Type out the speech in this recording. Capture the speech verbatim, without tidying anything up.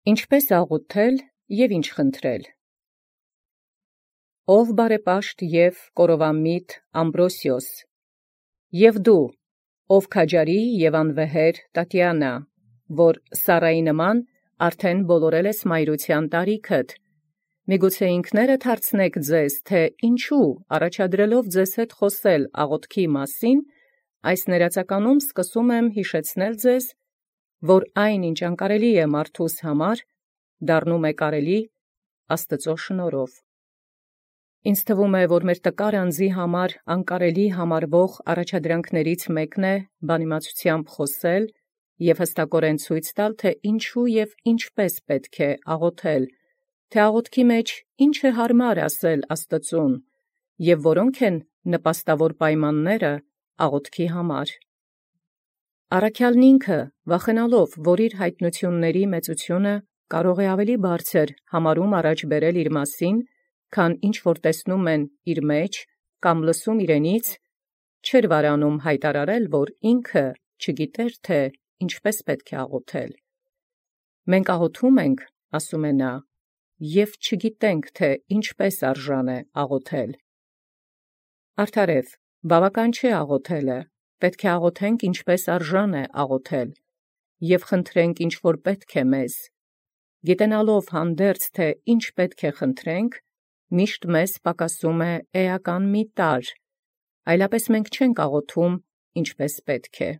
Ինչպէս աղոթել և ինչ խնդրել։ Ով բարեպաշտ և կորովամիտ Ամբրոսիոս, և դու, ով քաջարի և անվեհեր Տատյանա, որ Սառայի նման արդեն բոլորել ես մայրութեան տարիքդ, միգուցե ինքներդ հարցնէք ձեզ, թէ ինչու առաջադրելով ձեզ հետ խոսել աղոթքի մասին, այս ներածականում սկսում եմ յիշեցնել ձեզ, որ այն ինչ անկարելի է մարդուս համար, դառնում է կարելի Աստուծոյ շնորհով։ Ինձ թվում է, որ մեր տկար անձի համար անկարելի համարվող առաջադրանքներից մեկն է բանիմացութեամբ խոսել և հստակորեն ցույց տալ, թէ ինչու և ինչպէս պետք է աղոթել, թէ աղոթքի մեջ ինչ է հարմար ասել Աստուծուն, և որոնք են նպաստավոր պայմանները աղոթքի համար։ Առաքյալն ինքը, վախենալով, որ իր յայտնութիւնացն մեծութիւնը կարող է ավելի բարձր համարում առաջ բերել իր մասին, քան ինչ որ տեսնում են իր մեջ կամ լսում իրենից, չէր վարանում հայտարարել, որ ինքը չգիտեր, թէ ինչպէս պետք է աղոթել։ «Մենք աղոթում ենք, ասում է նա, և չգիտենք, թէ ինչպէս արժան է աղոթել»։ Արդարև, բավական չէ աղոթելը, պետք է աղոթենք ինչպէս արժան է աղոթել, և խնդրենք ինչ որ պետք է մեզ, գիտենալով հանդերձ, թէ ինչ պետք է խնդրենք, միշտ մեզ պակասում է էական մի տարր, այլապես մենք չենք աղոթում ինչպէս պետք է։